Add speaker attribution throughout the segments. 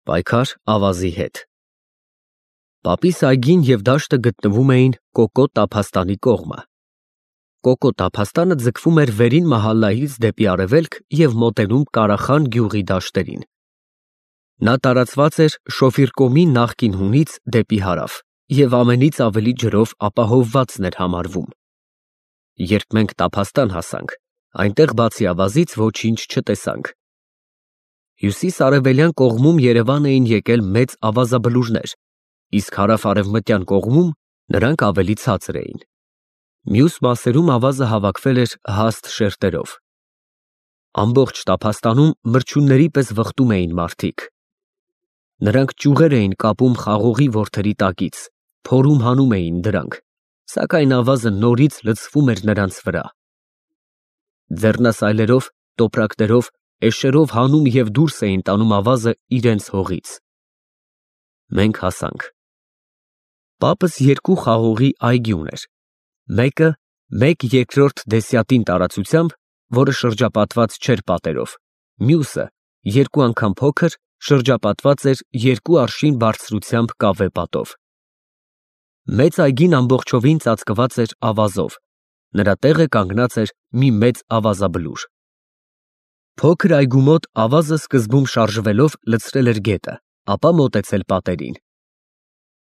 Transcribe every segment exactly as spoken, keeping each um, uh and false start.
Speaker 1: Պայքար ավազի հետ։ Պապիս այգին և դաշտը գտնվում էին Կոկո տափաստանի կողմը։ Կոկո տափաստանը ձգվում էր վերին մահալայից դեպի արևելք և մոտենում Կարախան գյուղի դաշտերին։ Նա տարածված էր Շոֆիրկոմի նախկին հունից դեպի հարավ և ամենից ավելի ջրով ապահովվածն էր համարվում։ Երբ մենք տափաստան հասանք, այնտեղ բացի ավազից ոչինչ չտեսանք։ Հյուսիս֊արևելյան կողմում Երևան էին եկել մեծ ավազաբլուրներ, իսկ հարավ֊արևմտյան կողմում նրանք ավելի ցածր էին։ Մյուս մասերում ավազը հավաքվել էր հաստ շերտերով։ Ամբողջ տափաստանում մրջյունների պես վխտում էին մարդիկ։ Նրանք ճյուղեր էին կապում խաղողի որդերի տակից, փորում հանում էին դրանք, սակայն ավազը նորից լցվում էր նրանց վրա։ Ձեռնասայլերով, տոպրակներով, էշերով հանում և դուրս էին տանում ավազը իրենց հողից։ Մենք հասանք։ Պապս երկու խաղողի այգի ուներ, մեկը մեկ երկրորդ դեսյատին տարածությամբ, որը շրջապատված չէր պատերով, մյուսը երկու անգամ փոքր, շրջապատված էր երկու արշին բարձրությամբ կավե պատով։ Մեծ այգին ամբողջովին ծածկված էր ավազով, նրա տեղը կանգնած էր մի մեծ ավազաբլուր։ Փոքր այգու մոտ ավազը սկզբում շարժվելով լցրել էր գետը, ապա մոտեցել պատերին։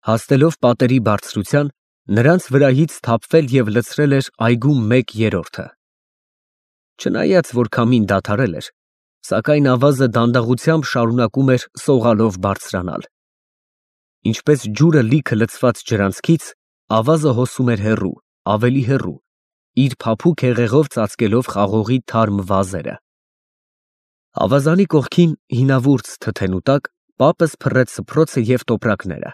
Speaker 1: Հասնելով պատերի բարձրության, նրանց վրայից թափվել և լցրել էր այգու մեկ երրորդը։ Չնայած որ քամին դադարել էր, սակայն ավազը դանդաղությամբ շարունակում էր սողալով բարձրանալ։ Ինչպես ջուրը լիքը լցված ջրանցքից, ավազը հոսում էր հեռու, ավելի հեռու, իր փափուկ հեղեղով ծածկելով խաղողի թարմ վազերը։ Ավազանի կողքին հինավուրց թթենու տակ պապս փռեց սփռոցը և տոպրակները։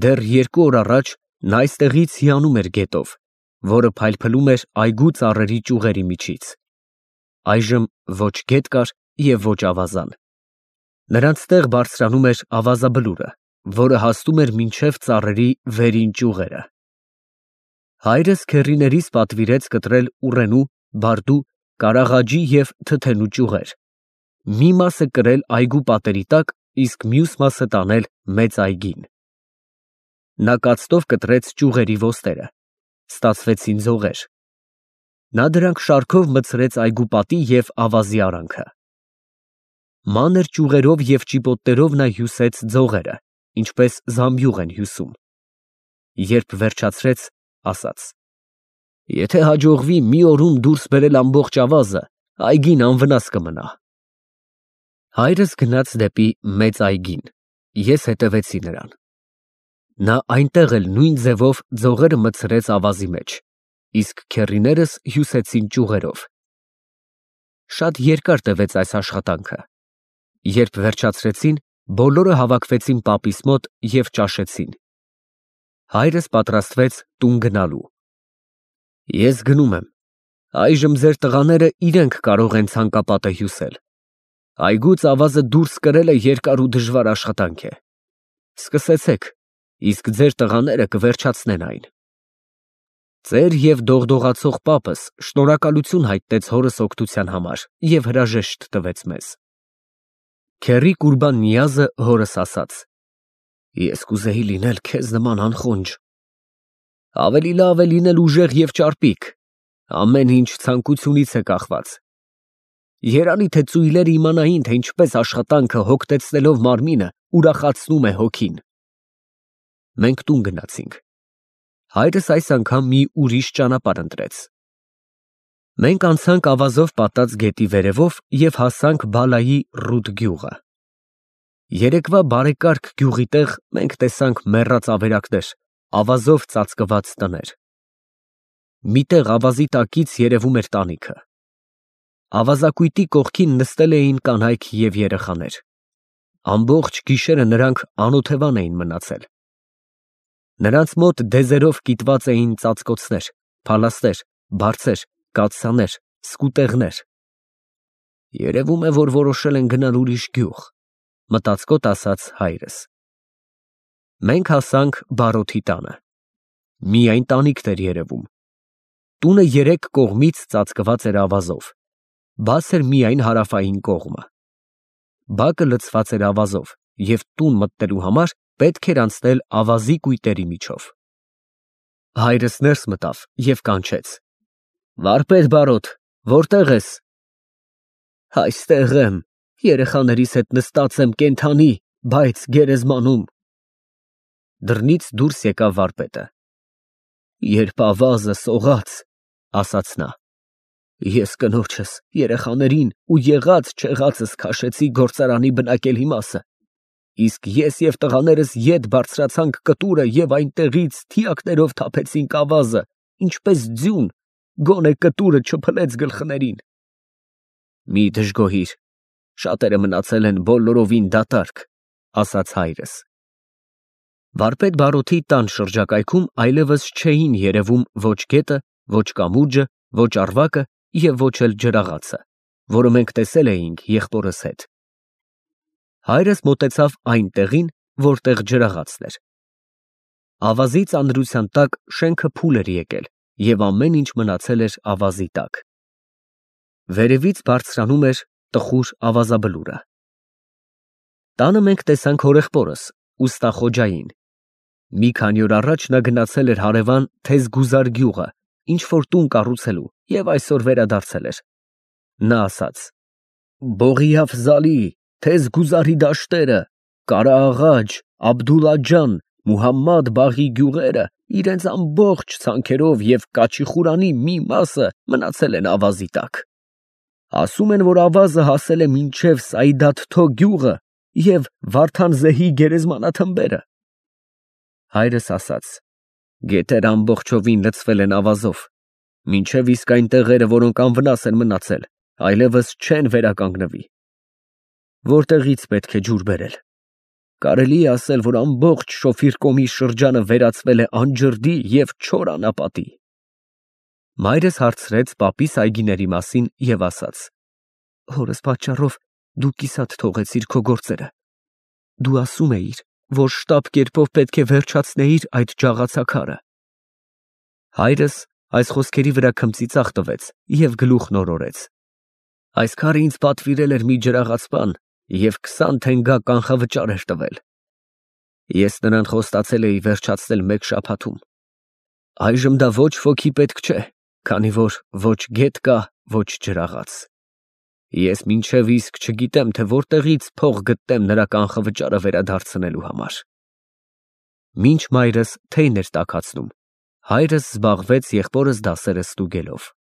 Speaker 1: Դեռ երկու օր առաջ նա այստեղից հիանում էր գետով, որը փայլփլում էր այգու ծառերի ճյուղերի միջից։ Այժմ ոչ գետ կար և ոչ ավազան։ Նրանց տեղ բարձրանում էր ավազաբլուրը, որը հասնում էր մինչև ծառերի վերին ճյուղերը։ Հայրս քեռիներիս պատվիրեց կտրել ուռենու, բարդու, կարաղաջի և թթենու ճյուղեր, մի մասը կրել այգու պատերի տակ, իսկ մյուս մասը տանել մեծ այգին։ Նա կացտով կտրեց ճյուղերի ոստերը, ստացվեցին ձողեր։ Նա դրանք շարքով մտցրեց այգու պատի և ավազի արանքը։ Մանր ճյուղերով և ճիպոտներով նա հյուսեց ձողերը, ինչպես զամբյուղ են հյուսում։ Երբ վերջացրեց, ասաց. «Եթե հաջողվի մի օրում դուրս բերել ամբողջ ավազը, այգին անվնաս կմնա»։ Հայրս գնաց դեպի մեծ այգին, ես հետևեցի նրան։ Նա այնտեղ էլ նույն ձևով ձողերը մտցրեց ավազի մեջ, իսկ քեռիներս հյուսեցին ճյուղերով։ Շատ երկար տևեց այս աշխատանքը։ Երբ վերջացրեցին, բոլորը հավաքվեցին պապիս մոտ և ճաշեցին։ Հայրս պատրաստվեց տուն գնալու։ Ես գնում եմ, այժմ ձեր տղաները իրենք կարող են ցանկապատը հյուսել։ Այգուց ավազը դուրս կրելը երկար ու դժվար աշխատանք է։ Սկսեցեք, իսկ ձեր տղաները կվերջացնեն այն։ Ծեր և դողդողացող պապս շնորհակալություն հայտնեց հորս օգնության համար և հրաժեշտ տվեց մեզ։ Քեռի Կուրբան֊Նիազը հորս ասաց. «Ես կուզեի լինել քեզ նման անխոնջ»։ Ավելի լավ է լինել ուժեղ և ճարպիկ, ամեն ինչ ցանկությունից է կախված։ Երանի թե ծույլերը իմանային, թե ինչպես աշխատանքը, հոգնեցնելով մարմինը, ուրախացնում է հոգին։ Մենք տուն գնացինք։ Հայրս այս անգամ մի ուրիշ ճանապարհ ընտրեց։ Մենք անցանք ավազով պատած գետի վերևով և հասանք Բալայի Ռուդ գյուղը։ Երեկվա բարեկարգ գյուղի տեղ մենք տեսանք մեռած ավերակներ, ավազով ծածկված տներ։ Մի տեղ ավազի տակից երևում էր տանիքը։ Ավազակույտի կողքին նստել էին կանայք և երեխաներ։ Ամբողջ գիշերը նրանք անօթևան էին մնացել։ Նրանց մոտ դեզերով կիտված էին ծածկոցներ, փալաստեր, բարձեր, կաթսաներ, սկուտեղներ։ Երևում է, որ որոշել են գնալ ուրիշ գյուղ, մտածկոտ ասաց հայրս։ Մենք հասանք Բարոթի տանը։ Միայն տանիքն էր երևում։ Տունը երեք կողմից ծածկված էր ավազով, բաց էր միայն հարավային կողմը։ Բակը լցված էր ավազով, և տուն մտնելու համար պետք էր անցնել ավազի կույտերի միջով։ Հայրս ներս մտավ և կանչեց. «Վարպետ բարոտ, որտե՞ղ ես»։ «Այստեղ եմ, երեխաներիս հետ նստած եմ կենդանի, բայց գերեզմանում»։ Դռնից դուրս եկավ վարպետը։ «Երբ ավազը սողաց, ֊ ասաց նա, ֊ ես կնոջս, երեխաներին ու եղած֊չեղածս քաշեցի գործարանի բնակելի մասը, իսկ ես և տղաներս ետ բարձրացանք կտուրը և այնտեղից թիակներով թափեցինք ավազը, ինչպես ձյուն, գոնե կտուրը չփլեց գլխներին»։ «Մի դժգոհիր, շատերը մնացել են բոլորովին դատարկ», ֊ ասաց հայրս։ Վարպետ բարոթի տան շրջակայքում այլևս չէին երևում ոչ գետը, ոչ կամուրջը, ոչ առվակը և ոչ էլ ջրաղացը, որը մենք տեսել էինք եղբորս հետ։ Հայրս մոտեցավ այն տեղին, որտեղ ջրաղացն էր։ Ավազի ծանրության տակ շենքը փուլ էր եկել, և ամեն ինչ մնացել էր ավազի տակ։ Վերևից բարձրանում էր տխուր ավազաբլուրը։ Տանը մենք տեսանք հորեղբորս, ուստա Խոջային։ Մի քանի օր առաջ նա գնացել էր հարևան Թեզգուզար գյուղը ինչ֊որ տուն կառուցելու և այսօր վերադարձել էր։ Նա ասաց. «Բողի֊Աֆզալի, Թեզգուզարի դաշտերը, Կարաաղաջ, Աբդուլլա ջան, Մուհամմադ Բաղի գյուղերը իրենց ամբողջ ցանքերով և Կաչի֊Խուրանի մի մասը մնացել են ավազի տակ։ Ասում են, որ ավազը հասել է մինչև Սայդաթթո գյուղը և Վարդանզեհի գերեզմանաթմբերը»։ Հայրս ասաց. «Գետերը ամբողջովին լցվել են ավազով, մինչև իսկ այն տեղերը, որոնք անվնաս են մնացել, այլևս չեն վերականգնվի։ Որտեղի՞ց պետք է ջուր բերել։ Կարելի է ասել, որ ամբողջ Շոֆիր շրջանը վերածվել է անջրդի և չոր անապատի»։ Մայրս հարցրեց պապիս այգիների մասին և ասաց. «Հորս պատճառով դու կիսատ թողեցիր քո գործերը։ Դու ասում էիր, որ շտապ կերպով պետք է վերջացնեիր այդ ջաղացաքարը»։ Հայրս այս խոսքերի վրա քմծիծաղ տվեց և գլուխն օրորեց. «Այս քարը ինձ պատվիրել էր մի ջրաղացպան և քսան թենգա կանխավճար էր տվել։ Ես նրան խոստացել էի վերջացնել մեկ շաբաթում։ Այժմ դա ոչ ոքի պետք չէ, քանի որ ոչ գետ կա, ոչ ջրաղաց։ Ես մինչև իսկ չգիտեմ, թե որտեղից փող գտնեմ նրա կանխավճարը վերադարձնելու համար»։ Մինչ մայրս թեյն էր տաքացնում, հայրս զբաղվեց եղբորս դասերը ստուգելով։